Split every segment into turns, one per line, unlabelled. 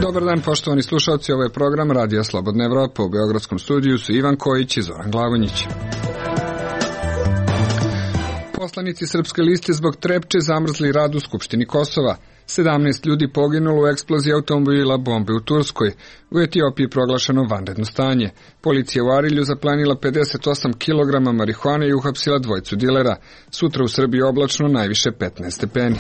Dobar dan, poštovani slušalci, ovo je program Radija Slobodna Evropa. U Beogradskom studiju su Ivan Kojić i Zoran Glavonjić. Poslanici Srpske liste zbog Trepče zamrzli rad u Skupštini Kosova. 17 ljudi poginulo u eksploziji automobila bombe u Turskoj. U Etiopiji proglašeno vanredno stanje. Policija u Arilju zaplenila 58 kg marihuane i uhapsila dvojicu dilera. Sutra u Srbiji oblačno, najviše 15 stepeni.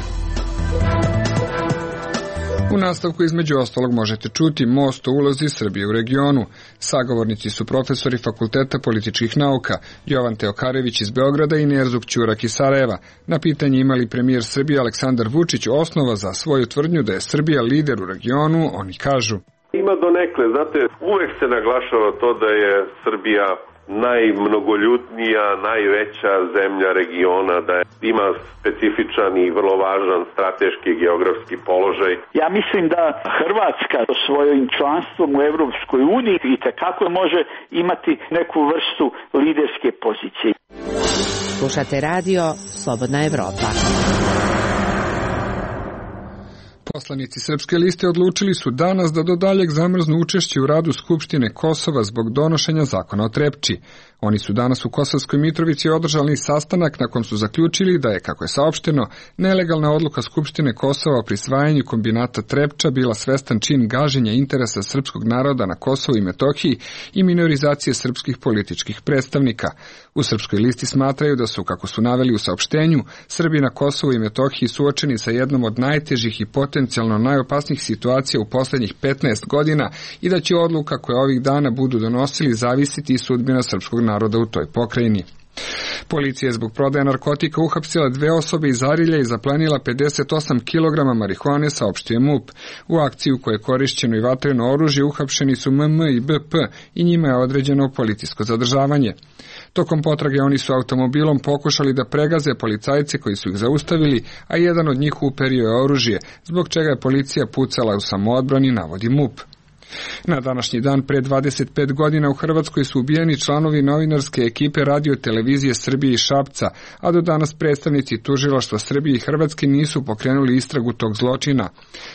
U nastavku između ostalog možete čuti most o ulozi Srbije u regionu. Sagovornici su profesori Fakulteta političkih nauka Jovan Teokarević iz Beograda i Nerzuk Ćurak iz Sarajeva. Na pitanje ima li premijer Srbije Aleksandar Vučić osnova za svoju tvrdnju da je Srbija lider u regionu, oni kažu.
Ima donekle, znate, uvek se naglašava to da je Srbija najmnogoljudnija, najveća zemlja regiona, da ima specifičan i vrlo važan strateški i geografski položaj.
Ja mislim da Hrvatska svojim članstvom u Evropskoj uniji itekako može imati neku vrstu liderske pozicije.
Slušate radio Slobodna Evropa.
Poslanici Srpske liste odlučili su danas da do daljeg zamrznu učešće u radu Skupštine Kosova zbog donošenja zakona o Trepči. Oni su danas u Kosovskoj Mitrovici održali sastanak na kom su zaključili da je, kako je saopšteno, nelegalna odluka Skupštine Kosova o prisvajanju kombinata Trepča bila svestan čin gaženja interesa srpskog naroda na Kosovu i Metohiji i minorizacije srpskih političkih predstavnika. U Srpskoj listi smatraju da su, kako su naveli u saopštenju, Srbi na Kosovu i Metohiji suočeni sa jednom od najtežih i potencijalno najopasnijih situacija u poslednjih 15 godina i da će odluka koje ovih dana budu donosili zavisiti i sudbina srpskog naroda u toj pokrajini. Policija je zbog prodaje narkotika uhapsila 2 osobe iz Arilja i zaplenila 58 kg marihuane, saopštio MUP. U akciji u kojoj je korišćeno i vatreno oružje uhapšeni su MM i BP i njima je određeno policijsko zadržavanje. Tokom potrage oni su automobilom pokušali da pregaze policajce koji su ih zaustavili, a jedan od njih uperio je oružje, zbog čega je policija pucala u samoodbrani, navodi MUP. Na današnji dan pre 25 godina u Hrvatskoj su ubijeni članovi novinarske ekipe Radio televizije Srbije i Šapca, a do danas predstavnici tužilaštva Srbije i Hrvatske nisu pokrenuli istragu tog zločina,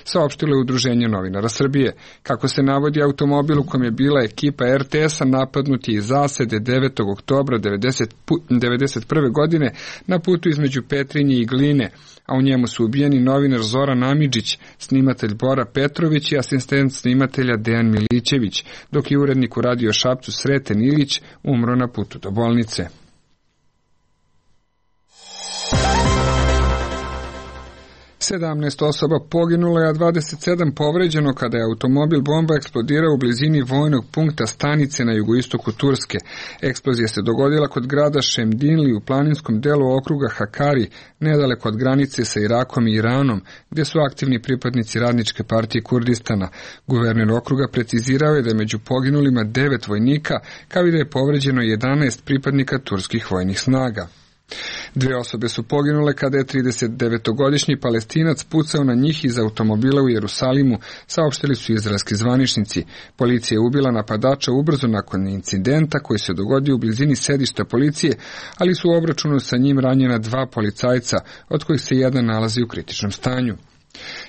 saopštilo je Udruženje novinara Srbije. Kako se navodi, automobil u kom je bila ekipa RTS-a napadnut je iz zasede 9. oktobra 1991. godine na putu između Petrinje i Gline, a u njemu su ubijeni novinar Zoran Amidžić, snimatelj Bora Petrović i asistent snimatelja Dejan Milićević, dok je urednik u Radio Šapcu Sreten Ilić umro na putu do bolnice. Sedamnaest osoba poginulo je, a 27 povređeno kada je automobil bomba eksplodirao u blizini vojnog punkta stanice na jugoistoku Turske. Eksplozija se dogodila kod grada Šemdinli u planinskom delu okruga Hakari, nedaleko od granice sa Irakom i Iranom, gdje su aktivni pripadnici Radničke partije Kurdistana. Guverner okruga precizirao je da je među poginulima 9 vojnika, kao i da je povređeno 11 pripadnika turskih vojnih snaga. 2 osobe su poginule kada je 39-godišnji Palestinac pucao na njih iz automobila u Jerusalimu, saopštili su izraelski zvaničnici. Policija je ubila napadača ubrzo nakon incidenta koji se dogodio u blizini sedišta policije, ali su u obračunu sa njim ranjena 2 policajca, od kojih se jedan nalazi u kritičnom stanju.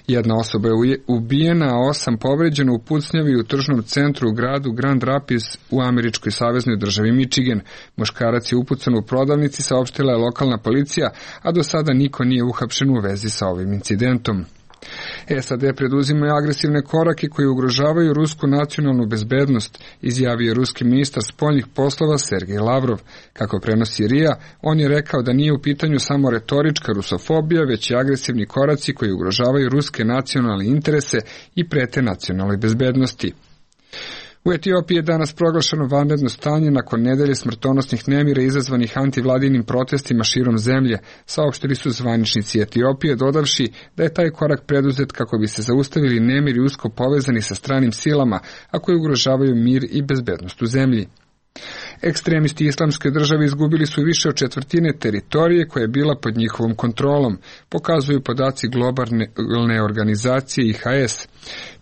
1 osoba je ubijena, a 8 povređeno u pucnjavi u tržnom centru u gradu Grand Rapids u američkoj saveznoj državi Michigan. Muškarac je upucan u prodavnici, saopštila je lokalna policija, a do sada niko nije uhapšen u vezi sa ovim incidentom. SAD preduzimaju agresivne korake koji ugrožavaju rusku nacionalnu bezbednost, izjavio je ruski ministar spoljnih poslova Sergej Lavrov. Kako prenosi RIA, on je rekao da nije u pitanju samo retorička rusofobija, već i agresivni koraci koji ugrožavaju ruske nacionalne interese i prete nacionalnoj bezbednosti. U Etiopiji je danas proglašeno vanredno stanje nakon nedelje smrtonosnih nemira izazvanih antivladinim protestima širom zemlje, saopštili su zvaničnici Etiopije, dodavši da je taj korak preduzet kako bi se zaustavili nemiri usko povezani sa stranim silama, a koji ugrožavaju mir i bezbednost u zemlji. Ekstremisti Islamske države izgubili su više od 1/4 teritorije koja je bila pod njihovom kontrolom, pokazuju podaci globalne organizacije IHS.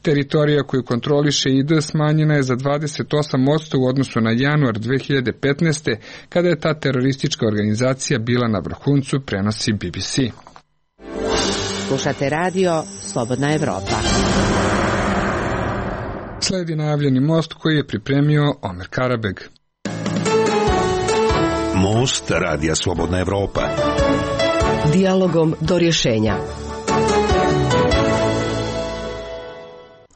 Teritorija koju kontroliše ID smanjena je za 28% u odnosu na januar 2015. kada je ta teroristička organizacija bila na vrhuncu, prenosi BBC.
Slušate radio Slobodna Evropa.
Sledi najavljeni most koji je pripremio Omer Karabeg.
Most Radija Slobodna Evropa.
Dijalogom do rješenja.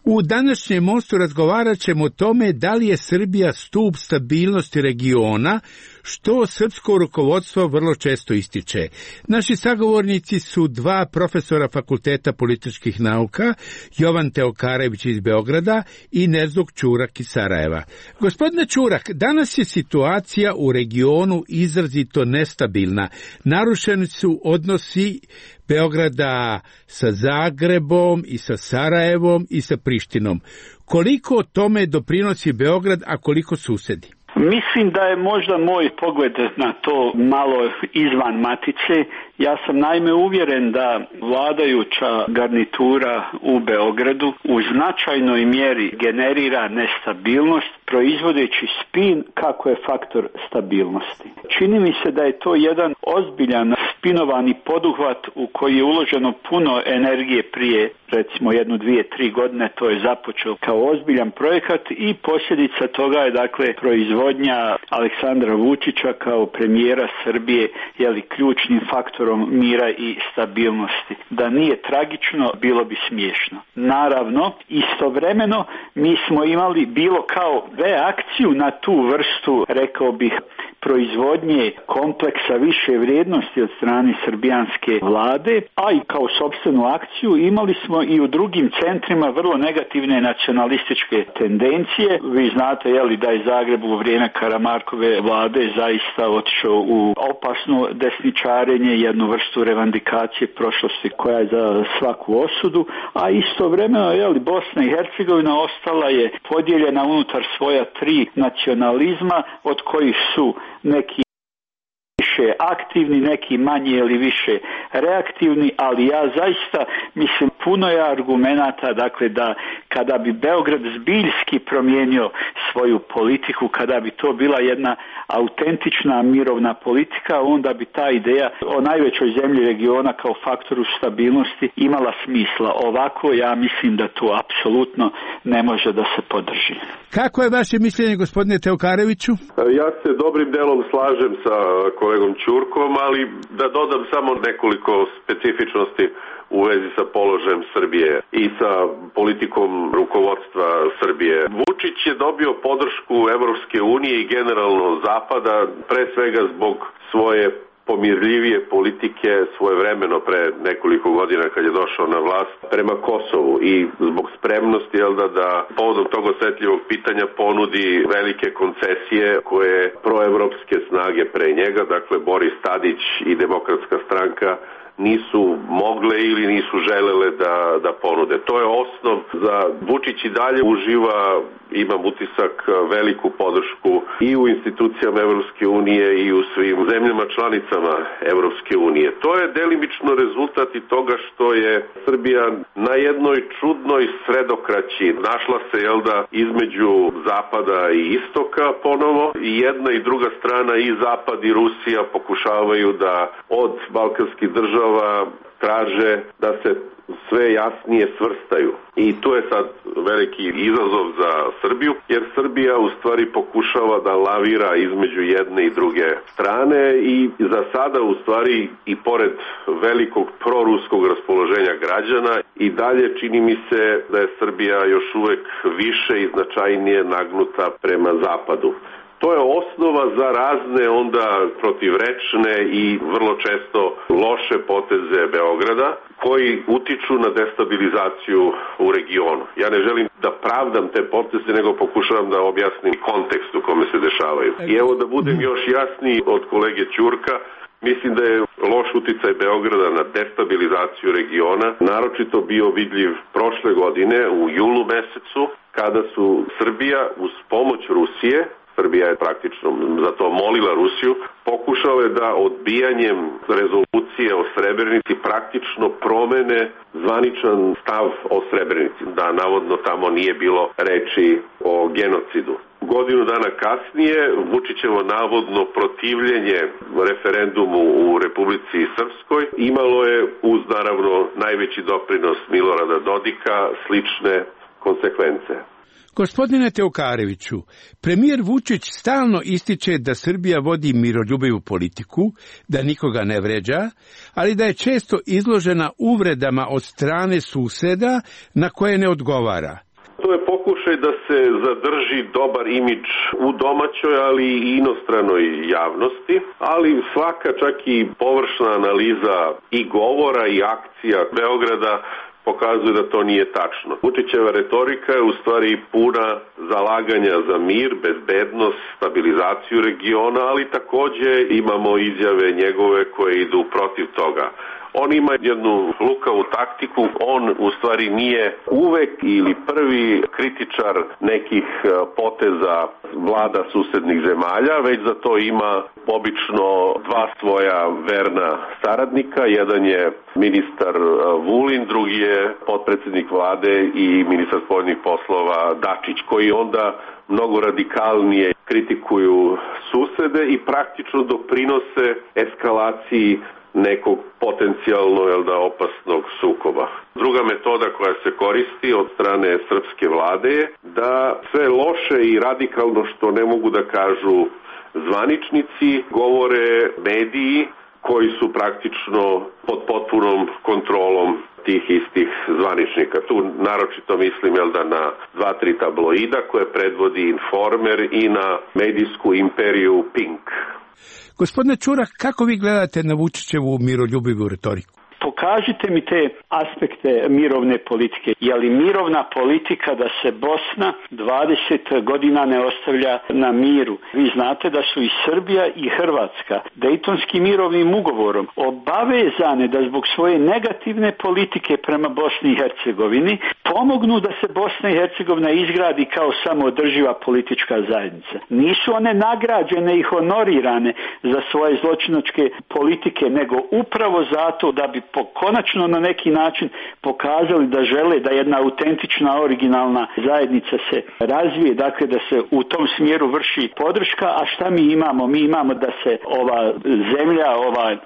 U današnjem mostu razgovarat ćemo o tome da li je Srbija stup stabilnosti regiona, što srpsko rukovodstvo vrlo često ističe. Naši sagovornici su dva profesora Fakulteta političkih nauka, Jovan Teokarević iz Beograda i Nezog Ćurak iz Sarajeva. Gospodine Ćurak, danas je situacija u regionu izrazito nestabilna. Narušeni su odnosi Beograda sa Zagrebom i sa Sarajevom i sa Prištinom. Koliko tome doprinosi Beograd, a koliko susedi?
Mislim da je možda moj pogled na to malo izvan matice. Ja sam naime uvjeren da vladajuća garnitura u Beogradu u značajnoj mjeri generira nestabilnost, proizvodeći spin kako je faktor stabilnosti. Čini mi se da je to jedan ozbiljan spinovani poduhvat u koji je uloženo puno energije prije recimo 1, 2, 3 godine. To je započeo kao ozbiljan projekat i posljedica toga je dakle proizvodnja Aleksandra Vučića kao premijera Srbije ključnim faktorom mira i stabilnosti. Da nije tragično, bilo bi smiješno. Naravno, istovremeno mi smo imali bilo kao reakciju na tu vrstu, rekao bih, proizvodnje kompleksa više vrijednosti od strane srbijanske vlade, a i kao sopstvenu akciju imali smo i u drugim centrima vrlo negativne nacionalističke tendencije. Vi znate da je Zagreb u vrijeme Karamarkove vlade zaista otišao u opasno desničarenje, jednu vrstu revandikacije prošlosti koja je za svaku osudu, a istovremeno Bosna i Hercegovina ostala je podijeljena unutar svoja 3 nacionalizma, od kojih su neki više aktivni, neki manje ili više reaktivni, ali ja zaista mislim puno je argumenata da kada bi Beograd zbiljski promijenio svoju politiku, kada bi to bila jedna autentična mirovna politika, onda bi ta ideja o najvećoj zemlji regiona kao faktoru stabilnosti imala smisla. Ovako ja mislim da to apsolutno ne može da se podrži.
Kako je vaše mišljenje, gospodine Teokareviću?
Ja se dobrim delom slažem sa kolegom Ćurkom, ali da dodam samo nekoliko specifičnosti u vezi sa položajem Srbije i sa politikom rukovodstva Srbije. Vučić je dobio podršku Evropske unije i generalno Zapada, pre svega zbog svoje pomirljivije politike svojevremeno pre nekoliko godina kad je došao na vlast prema Kosovu i zbog spremnosti da povodom tog osetljivog pitanja ponudi velike koncesije koje proevropske snage pre njega, dakle Boris Tadić i Demokratska stranka, nisu mogle ili nisu želele da ponude. To je osnov za Vučić i dalje uživa, imam utisak, veliku podršku i u institucijama Evropske unije i u svim zemljama članicama Evropske unije. To je delimično rezultat i toga što je Srbija na jednoj čudnoj sredokraći našla se između Zapada i Istoka ponovo, i jedna i druga strana, i Zapad i Rusija, pokušavaju da od balkanskih država traže da se sve jasnije svrstaju. I tu je sad veliki izazov za Srbiju, jer Srbija u stvari pokušava da lavira između jedne i druge strane i za sada u stvari i pored velikog proruskog raspoloženja građana i dalje čini mi se da je Srbija još uvek više i značajnije nagnuta prema zapadu. To je osnova za razne onda protivrečne i vrlo često loše poteze Beograda koji utiču na destabilizaciju u regionu. Ja ne želim da pravdam te poteze, nego pokušavam da objasnim kontekst u kome se dešavaju. I evo da budem još jasniji od kolege Ćurka, mislim da je loš uticaj Beograda na destabilizaciju regiona naročito bio vidljiv prošle godine u julu mesecu, kada su Srbija uz pomoć Rusije, Srbija je praktično za to molila Rusiju, pokušale da odbijanjem rezolucije o Srebrenici praktično promene zvaničan stav o Srebrenici, da navodno tamo nije bilo reči o genocidu. Godinu dana kasnije Vučićevo navodno protivljenje referendumu u Republici Srpskoj imalo je uz naravno najveći doprinos Milorada Dodika slične konsekvence.
Gospodine Teokareviću, premijer Vučić stalno ističe da Srbija vodi miroljubivu politiku, da nikoga ne vređa, ali da je često izložena uvredama od strane suseda na koje ne odgovara.
To je pokušaj da se zadrži dobar imidž u domaćoj, ali i inostranoj javnosti, ali svaka čak i površna analiza i govora i akcija Beograda pokazuje da to nije tačno. Vučićeva retorika je u stvari puna zalaganja za mir, bezbednost, stabilizaciju regiona, ali takođe imamo izjave njegove koje idu protiv toga. On ima jednu lukavu taktiku, on u stvari nije uvek ili prvi kritičar nekih poteza vlada susednih zemalja, već za to ima obično dva svoja verna saradnika. Jedan je ministar Vulin, drugi je potpredsednik vlade i ministar spoljnih poslova Dačić, koji onda mnogo radikalnije kritikuju susede i praktično doprinose eskalaciji nekog potencijalno opasnog sukoba. Druga metoda koja se koristi od strane srpske vlade je da sve loše i radikalno što ne mogu da kažu zvaničnici govore mediji koji su praktično pod potpunom kontrolom tih istih zvaničnika. Tu naročito mislim na 2-3 tabloida koje predvodi Informer i na medijsku imperiju Pink.
Gospodine Čurak, kako vi gledate na Vučićevu miroljubivu retoriku?
Pokažite mi te aspekte mirovne politike. Je li mirovna politika da se Bosna 20 godina ne ostavlja na miru? Vi znate da su i Srbija i Hrvatska Dejtonskim mirovnim ugovorom obavezane da zbog svoje negativne politike prema Bosni i Hercegovini pomognu da se Bosna i Hercegovina izgradi kao samoodrživa politička zajednica. Nisu one nagrađene i honorirane za svoje zločinačke politike, nego upravo zato da bi konačno na neki način pokazali da žele da jedna autentična, originalna zajednica se razvije, dakle da se u tom smjeru vrši podrška. A šta mi imamo? Mi imamo da se ova zemlja,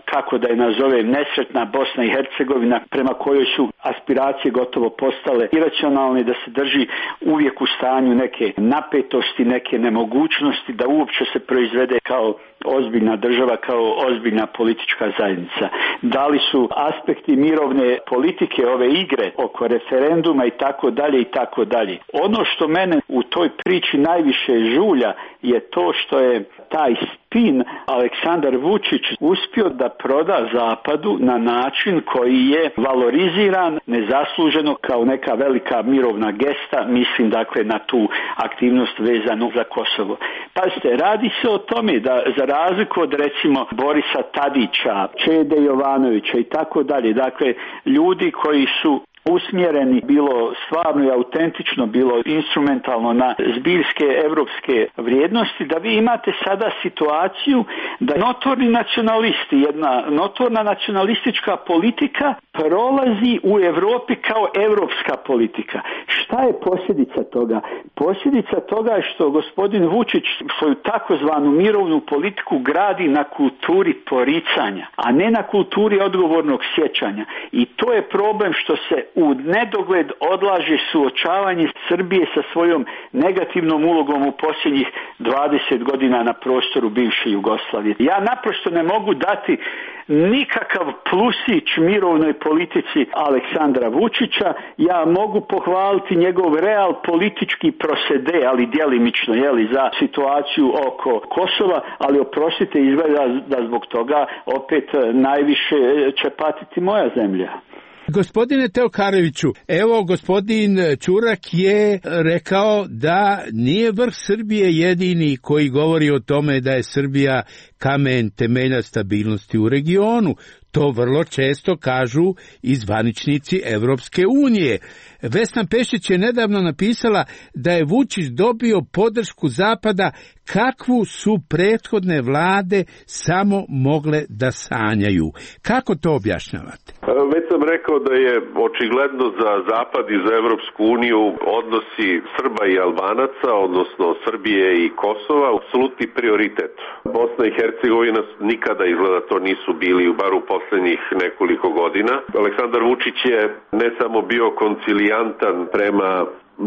kako da je nazovem, nesretna Bosna i Hercegovina, prema kojoj su aspiracije gotovo postale iracionalne, da se drži uvijek u stanju neke napetosti, neke nemogućnosti da uopće se proizvede kao ozbiljna država, kao ozbiljna politička zajednica. Da li su aspekti mirovne politike, ove igre oko referenduma i tako dalje i tako dalje. Ono što mene u toj priči najviše žulja je to što je taj spin Aleksandar Vučić uspio da proda Zapadu na način koji je valoriziran nezasluženo kao neka velika mirovna gesta, mislim dakle na tu aktivnost vezanu za Kosovo. Pazite, radi se o tome da za razliku od recimo Borisa Tadića, Čede Jovanovića i tako dalje, dakle ljudi koji su usmjereni bilo stvarno i autentično, bilo instrumentalno na zbiljske evropske vrijednosti, da vi imate sada situaciju da notorni nacionalisti, jedna notorna nacionalistička politika prolazi u Europi kao evropska politika. Šta je posljedica toga? Posljedica toga je što gospodin Vučić svoju takozvanu mirovnu politiku gradi na kulturi poricanja, a ne na kulturi odgovornog sjećanja. I to je problem što se u nedogled odlaže suočavanje Srbije sa svojom negativnom ulogom u posljednjih 20 godina na prostoru bivše Jugoslavije. Ja naprosto ne mogu dati nikakav plusić mirovnoj politici Aleksandra Vučića. Ja mogu pohvaliti njegov real politički prosede, ali djelimično za situaciju oko Kosova, ali oprostite, izgleda da zbog toga opet najviše će patiti moja zemlja.
Gospodine Teokareviću, evo gospodin Čurak je rekao da nije vrh Srbije jedini koji govori o tome da je Srbija kamen temelja stabilnosti u regionu. To vrlo često kažu i zvaničnici Evropske unije. Vesna Pešić je nedavno napisala da je Vučić dobio podršku Zapada kakvu su prethodne vlade samo mogle da sanjaju. Kako to objašnjavate?
Već sam rekao da je očigledno za Zapad i za Evropsku uniju odnosi Srba i Albanaca, odnosno Srbije i Kosova, apsolutni prioritet. Bosna i Hercegovina nikada izgleda to nisu bili, bar u poslednjih nekoliko godina. Aleksandar Vučić je ne samo bio koncilijantan prema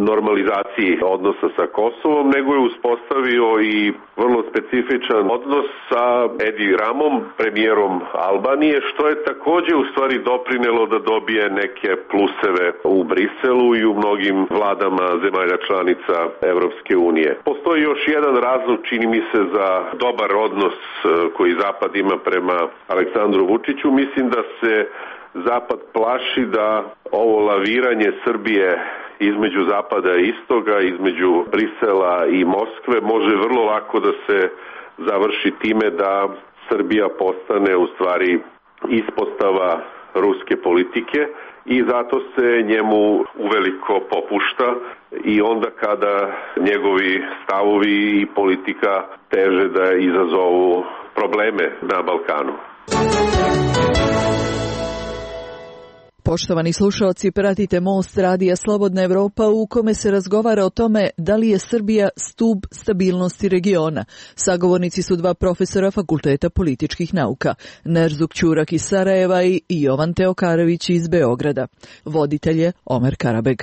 normalizaciji odnosa sa Kosovom, nego je uspostavio i vrlo specifičan odnos sa Edi Ramom, premijerom Albanije, što je takođe u stvari doprinelo da dobije neke pluseve u Briselu i u mnogim vladama zemalja članica Evropske unije. Postoji još jedan razlog, čini mi se, za dobar odnos koji Zapad ima prema Aleksandru Vučiću. Mislim da se Zapad plaši da ovo laviranje Srbije između Zapada i Istoga, između Brisela i Moskve može vrlo lako da se završi time da Srbija postane u stvari ispostava ruske politike i zato se njemu uveliko popušta i onda kada njegovi stavovi i politika teže da izazovu probleme na Balkanu.
Poštovani slušalci, pratite Most radija Slobodna Evropa u kome se razgovara o tome da li je Srbija stub stabilnosti regiona. Sagovornici su dva profesora Fakulteta političkih nauka, Nerzuk Ćurak iz Sarajeva i Jovan Teokarević iz Beograda. Voditelj je Omer Karabeg.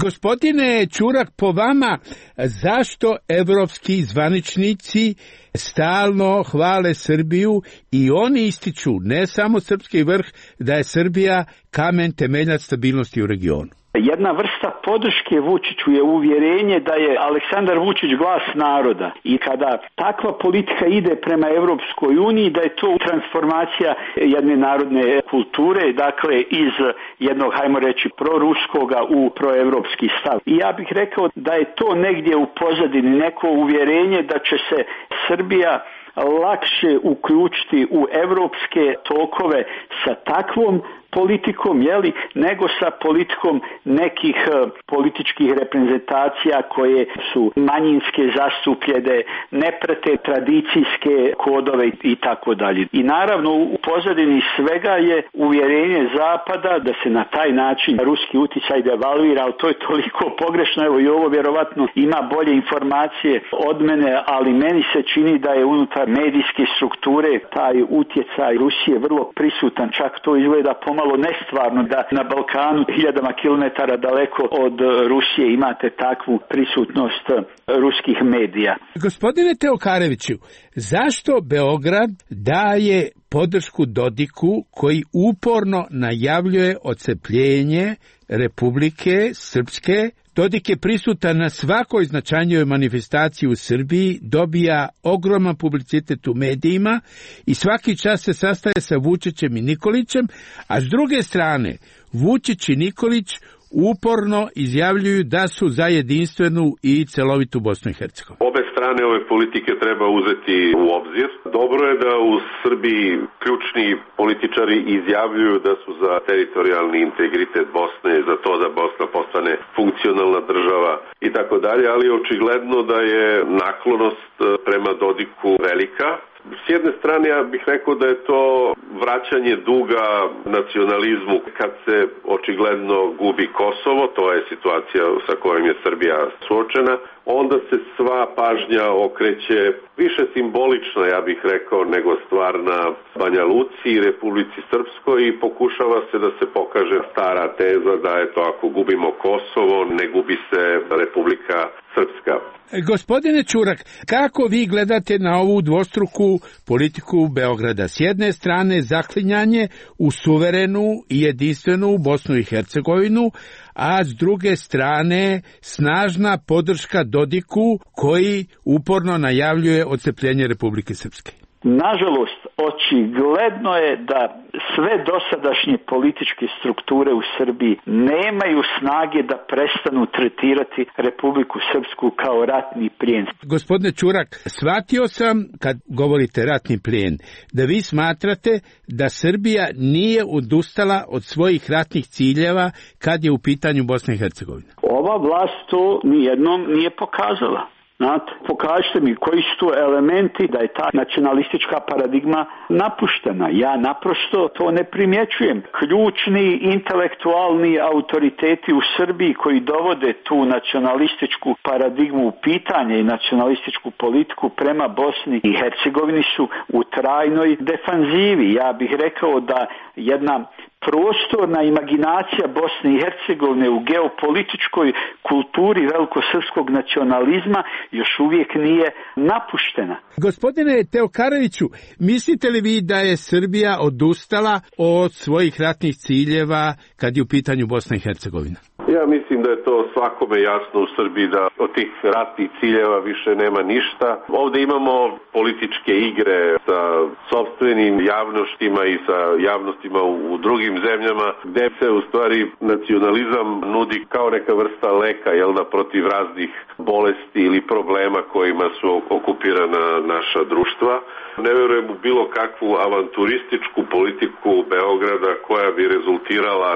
Gospodine Ćurak, po vama, zašto evropski zvaničnici stalno hvale Srbiju i oni ističu, ne samo srpski vrh, da je Srbija kamen temeljac stabilnosti u regionu?
Jedna vrsta podrške Vučiću je uvjerenje da je Aleksandar Vučić glas naroda i kada takva politika ide prema Evropskoj uniji, da je to transformacija jedne narodne kulture, dakle iz jednog, hajmo reći, proruskoga u proevropski stav. I ja bih rekao da je to negdje u pozadini neko uvjerenje da će se Srbija lakše uključiti u evropske tokove sa takvom politikom, nego sa politikom nekih političkih reprezentacija koje su manjinske, zastupljene, ne prate tradicijske kodove i tako dalje. I naravno u pozadini svega je uvjerenje Zapada da se na taj način ruski uticaj devalvira, ali to je toliko pogrešno, evo i ovo vjerovatno ima bolje informacije od mene, ali meni se čini da je unutar medijske strukture taj utjecaj Rusije vrlo prisutan, čak to izgleda pomalo nestvarno da na Balkanu hiljadama kilometara daleko od Rusije imate takvu prisutnost ruskih medija.
Gospodine Teokareviću, zašto Beograd daje podršku Dodiku koji uporno najavljuje odcepljenje Republike Srpske? Dodik je prisutan na svakoj značajnijoj manifestaciji u Srbiji, dobija ogroman publicitet u medijima i svaki čas se sastaje sa Vučićem i Nikolićem, a s druge strane Vučić i Nikolić uporno izjavljuju da su za jedinstvenu i celovitu Bosnu i Hercegovinu.
Obe strane ove politike treba uzeti u obzir. Dobro je da u Srbiji ključni političari izjavljuju da su za teritorijalni integritet Bosne, za to da Bosna postane funkcionalna država i tako dalje, ali očigledno da je naklonost prema Dodiku velika. S jedne strane ja bih rekao da je to vraćanje duga nacionalizmu kad se očigledno gubi Kosovo, to je situacija sa kojom je Srbija suočena, onda se sva pažnja okreće više simbolično, ja bih rekao, nego stvarna Banja Luci i Republici Srpskoj i pokušava se da se pokaže stara teza da je to ako gubimo Kosovo, ne gubi se Republika Srpska.
Gospodine Ćurak, kako vi gledate na ovu dvostruku politiku Beograda? S jedne strane zaklinjanje u suverenu i jedinstvenu Bosnu i Hercegovinu, a s druge strane snažna podrška Dodiku koji uporno najavljuje odcepljenje Republike Srpske.
Nažalost, očigledno je da sve dosadašnje političke strukture u Srbiji nemaju snage da prestanu tretirati Republiku Srpsku kao ratni plijen.
Gospodine Ćurak, shvatio sam, kad govorite ratni plijen, da vi smatrate da Srbija nije odustala od svojih ratnih ciljeva kad je u pitanju Bosna i Hercegovina.
Ova vlast to nijednom nije pokazala. Znate, pokažite mi koji su to elementi da je ta nacionalistička paradigma napuštena. Ja naprosto to ne primjećujem. Ključni intelektualni autoriteti u Srbiji koji dovode tu nacionalističku paradigmu u pitanje i nacionalističku politiku prema Bosni i Hercegovini su u trajnoj defanzivi. Ja bih rekao da jedna prostorna imaginacija Bosne i Hercegovine u geopolitičkoj kulturi velikosrpskog nacionalizma još uvijek nije napuštena.
Gospodine Teokaroviću, mislite li vi da je Srbija odustala od svojih ratnih ciljeva kad je u pitanju Bosna i Hercegovina?
Ja mislim da je to svakome jasno u Srbiji da od tih ratnih ciljeva više nema ništa. Ovdje imamo političke igre sa sopstvenim javnostima i sa javnostima u drugim zemljama gdje se u stvari nacionalizam nudi kao neka vrsta leka, protiv raznih bolesti ili problema kojima su okupirana naša društva. Ne vjerujem u bilo kakvu avanturističku politiku Beograda koja bi rezultirala,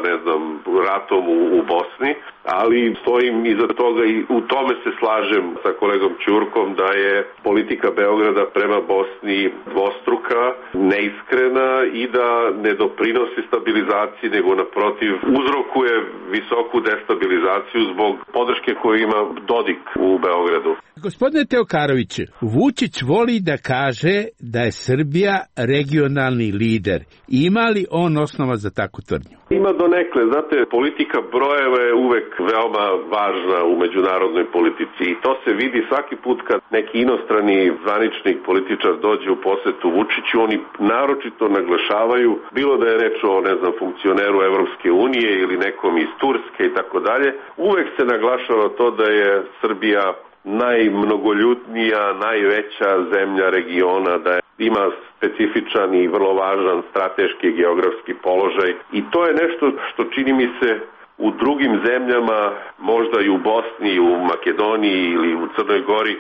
ratom u Bosni, ali stojim iza toga i u tome se slažem sa kolegom Ćurkom da je politika Beograda prema Bosni dvostruka, neiskrena i da ne doprinosi stabilizaciji, nego naprotiv uzrokuje visoku destabilizaciju zbog podrške koju ima Dodik u Beogradu.
Gospodine Teokaroviće, Vučić voli da kaže da je Srbija regionalni lider. Ima li on osnova za takvu tvrdnju?
Ima donekle. Znate, politika brojeva je uvek veoma važna u međunarodnoj politici i to se vidi svaki put kad neki inostrani zvaničnik, političar dođe u posetu Vučiću, oni naročito naglašavaju, bilo da je reč o, funkcioneru Evropske unije ili nekom iz Turske i tako dalje, uvek se naglašava to da je Srbija najmnogoljutnija, najveća zemlja regiona, da ima specifičan i vrlo važan strateški i geografski položaj i to je nešto što čini mi se u drugim zemljama, možda i u Bosni, u Makedoniji ili u Crnoj Gori,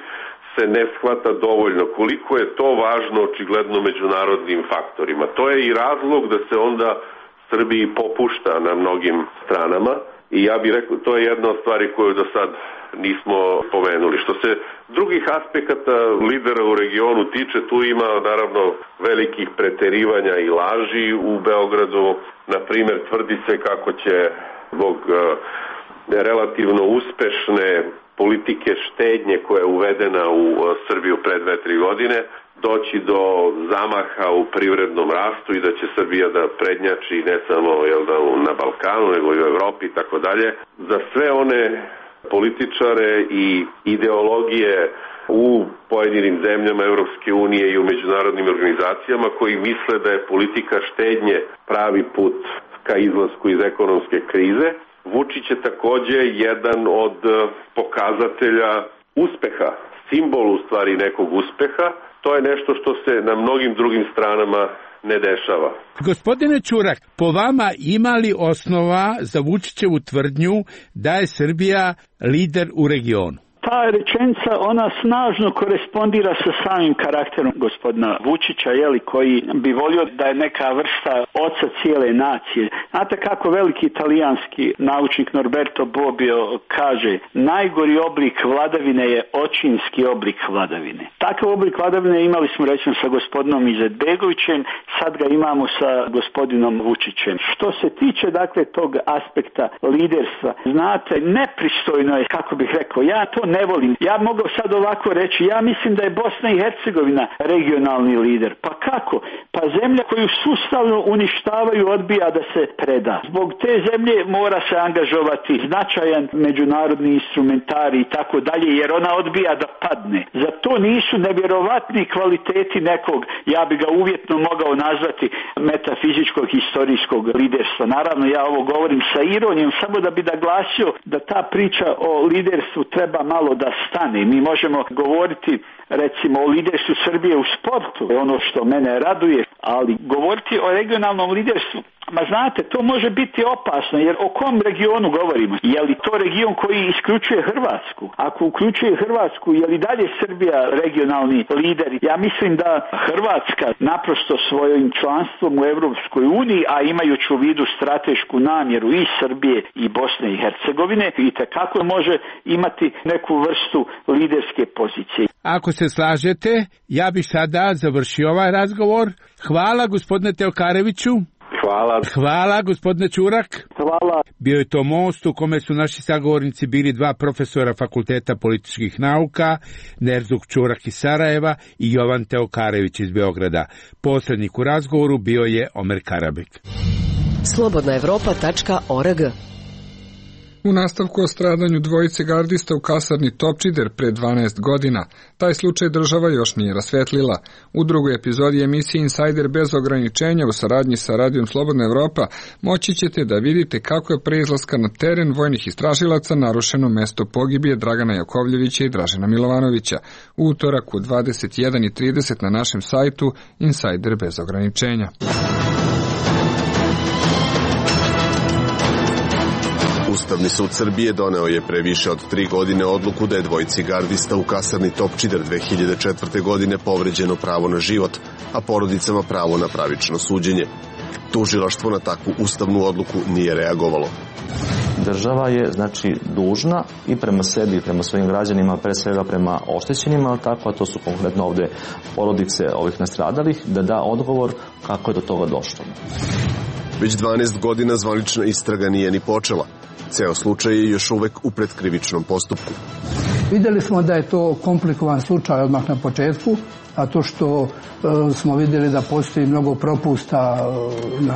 se ne shvata dovoljno koliko je to važno očigledno međunarodnim faktorima. To je i razlog da se onda Srbiji popušta na mnogim stranama i ja bih rekao to je jedna od stvari koju do sad nismo pomenuli. Što se drugih aspekata lidera u regionu tiče, tu ima naravno velikih preterivanja i laži u Beogradu. Na primjer, tvrdi se kako će zbog relativno uspešne politike štednje koja je uvedena u Srbiju pre 2-3 godine doći do zamaha u privrednom rastu i da će Srbija da prednjači ne samo na Balkanu nego i u Evropi i tako dalje. Za sve one političare i ideologije u pojedinim zemljama Europske unije i u međunarodnim organizacijama koji misle da je politika štednje pravi put ka izlasku iz ekonomske krize. Vučić je također jedan od pokazatelja uspeha, simbol u stvari nekog uspeha. To je nešto što se na mnogim drugim stranama ne dešava.
Gospodine Ćurak, po vama ima li osnova za Vučićevu tvrdnju da je Srbija lider u regionu?
Ta rečenica, ona snažno korespondira sa samim karakterom gospodina Vučića, koji bi volio da je neka vrsta oca cijele nacije. Znate kako veliki italijanski naučnik Norberto Bobbio kaže, najgori oblik vladavine je očinski oblik vladavine. Takav oblik vladavine imali smo recimo sa gospodinom Izetbegovićem, sad ga imamo sa gospodinom Vučićem. Što se tiče tog aspekta liderstva, znate, nepristojno je, kako bih rekao, ja to ne volim. Ja mogu sad ovako reći, ja mislim da je Bosna i Hercegovina regionalni lider. Pa kako? Pa zemlja koju sustavno uništavaju odbija da se preda. Zbog te zemlje mora se angažovati značajan međunarodni instrumentari i tako dalje, jer ona odbija da padne. Za to nisu nevjerovatni kvaliteti nekog, ja bi ga uvjetno mogao nazvati metafizičkog historijskog liderstva. Naravno, ja ovo govorim sa ironijom, samo da bi naglasio da ta priča o liderstvu treba malo da stane. Mi možemo govoriti recimo o liderstvu Srbije u sportu, ono što mene raduje, ali govoriti o regionalnom liderstvu, ma znate, to može biti opasno, jer o kom regionu govorimo? Je li to region koji isključuje Hrvatsku? Ako uključuje Hrvatsku, je li dalje Srbija regionalni lider? Ja mislim da Hrvatska naprosto svojim članstvom u Evropskoj uniji, a imajući u vidu stratešku namjeru i Srbije i Bosne i Hercegovine, itekako može imati neku vrstu liderske pozicije.
Ako se slažete, ja bih sada završio ovaj razgovor. Hvala gospodine Teokaroviću.
Hvala.
Hvala gospodine Ćurak.
Hvala.
Bio je to most u kome su naši sagovornici bili dva profesora Fakulteta političkih nauka, Nerzuk Čurak iz Sarajeva i Jovan Teokarević iz Beograda. Posrednik u razgovoru bio je Omer Karabek.
slobodnaevropa.org.
U nastavku o stradanju dvojice gardista u kasarni Topčider pre 12 godina. Taj slučaj država još nije rasvetlila. U drugoj epizodi emisije Insider bez ograničenja u saradnji sa Radijom Slobodna Evropa moći ćete da vidite kako je pre izlaska na teren vojnih istražilaca narušeno mesto pogibije Dragana Jakovljevića i Dražena Milovanovića. U utorak u 21:30 na našem sajtu Insider bez ograničenja.
Ustavni sud Srbije doneo je pre više od 3 godine odluku da je dvojici gardista u kasarni Topčider 2004. godine povređeno pravo na život, a porodicama pravo na pravično suđenje. Tužilaštvo na takvu ustavnu odluku nije reagovalo.
Država je dužna i prema sebi i prema svojim građanima, pre svega prema oštećenima, ali tako, a to su konkretno ovde porodice ovih nastradalih, da da odgovor kako je do toga došlo.
Već 12 godina zvanična istraga nije ni počela. Ceo slučaj je još uvek u predkrivičnom postupku.
Videli smo da je to komplikovan slučaj odmah na početku, a to što smo videli da postoji mnogo propusta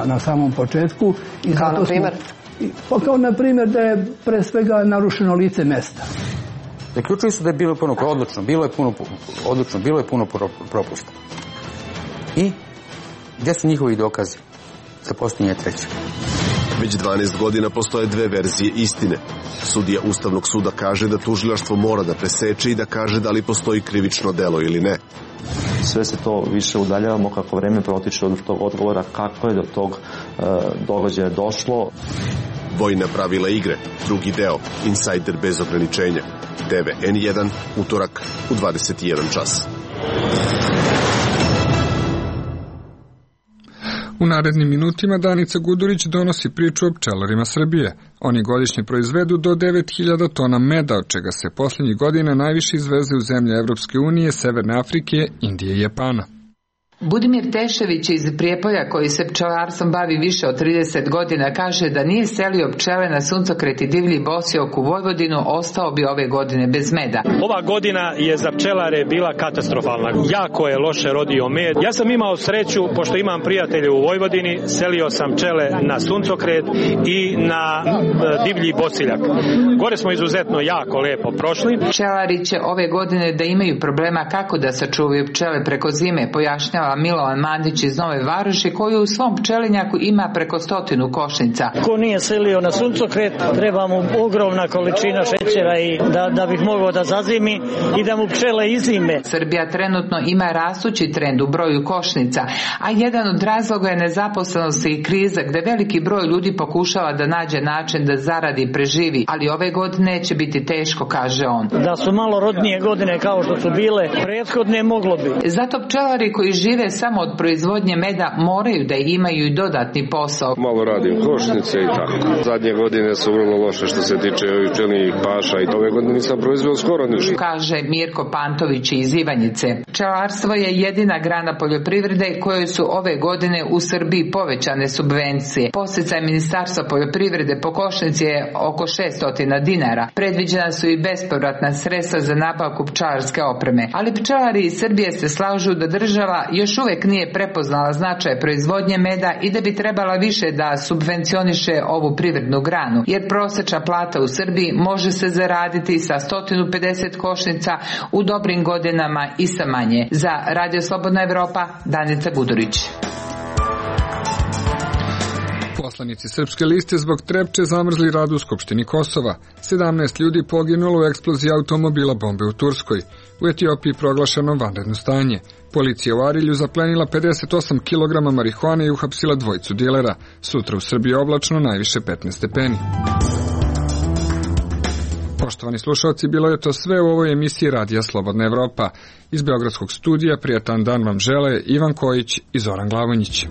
na samom početku. I
kao na primjer?
Kao na primjer da je pre svega narušeno lice mesta.
Zaključili su da je bilo puno odlučno, bilo je puno propusta. I gdje su njihovi dokazi za postojanje trećeg?
Već 12 godina postoje dve verzije istine. Sudija Ustavnog suda kaže da tužilaštvo mora da preseče i da kaže da li postoji krivično delo ili ne.
Sve se to više udaljavamo kako vreme protiče od tog odgovora kako je do tog događaja došlo.
Vojna pravila igre, drugi deo, Insider bez ograničenja. TV N1, utorak u 21 čas.
U narednim minutima Danica Gudurić donosi priču o pčelarima Srbije. Oni godišnje proizvedu do 9000 tona meda, od čega se posljednjih godina najviše izveze u zemlje Evropske unije, Severne Afrike, Indije i Japana.
Budimir Tešević iz Prijepolja, koji se pčelarstvom bavi više od 30 godina, kaže da nije selio pčele na suncokret i divlji bosiok u Vojvodinu, ostao bi ove godine bez meda.
Ova godina je za pčelare bila katastrofalna. Jako je loše rodio med. Ja sam imao sreću, pošto imam prijatelje u Vojvodini, selio sam pčele na suncokret i na divlji bosiljak. Gore smo izuzetno jako lepo prošli.
Pčelari će ove godine da imaju problema kako da sačuvaju pčele preko zime, pojašnjava Milovan Mandić iz Nove Varoši, koji u svom pčelinjaku ima preko 100 košnica.
Ko nije selio na suncokret, treba mu ogromna količina šećera i da bih mogao da zazimi i da mu pčele izime.
Srbija trenutno ima rastući trend u broju košnica, a jedan od razloga je nezaposlenost i kriza, gde veliki broj ljudi pokušava da nađe način da zaradi i preživi, ali ove godine će biti teško, kaže on.
Da su malo rodnije godine kao što su bile prethodne, moglo bi.
Zato pčelari koji žive samo od proizvodnje meda moraju da imaju i dodatni posao.
Malo radim košnice i tako. Zadnje godine su vrlo loše što se tiče ovih pčelinjih paša i ove godine nisam proizveo skoro ništa.
Kaže Mirko Pantović iz Ivanjice. Pčelarstvo je jedina grana poljoprivrede kojoj su ove godine u Srbiji povećane subvencije. Podsticaj Ministarstva poljoprivrede po košnici je oko 600 dinara. Predviđena su i bespovratna sredstva za nabavku pčelarske opreme. Ali pčelari iz Srbije se slažu da država još uvek nije prepoznala značaj proizvodnje meda i da bi trebala više da subvencioniše ovu privrednu granu, jer prosečna plata u Srbiji može se zaraditi sa 150 košnica u dobrim godinama i sa manje. Za Radio Slobodna Evropa, Danica Gudurić.
Poslanici Srpske liste zbog Trepče zamrzli rad u Skupštini Kosova. 17 ljudi poginulo u eksploziji automobila bombe u Turskoj. U Etiopiji proglašeno vanredno stanje. Policija u Arilju zaplenila 58 kg marihuane i uhapsila dvojicu dilera. Sutra u Srbiji oblačno, najviše 15 stepeni. Poštovani slušalci, bilo je to sve u ovoj emisiji Radija Slobodna Evropa. Iz Beogradskog studija prijatan dan vam žele Ivan Kojić i Zoran Glavonjić.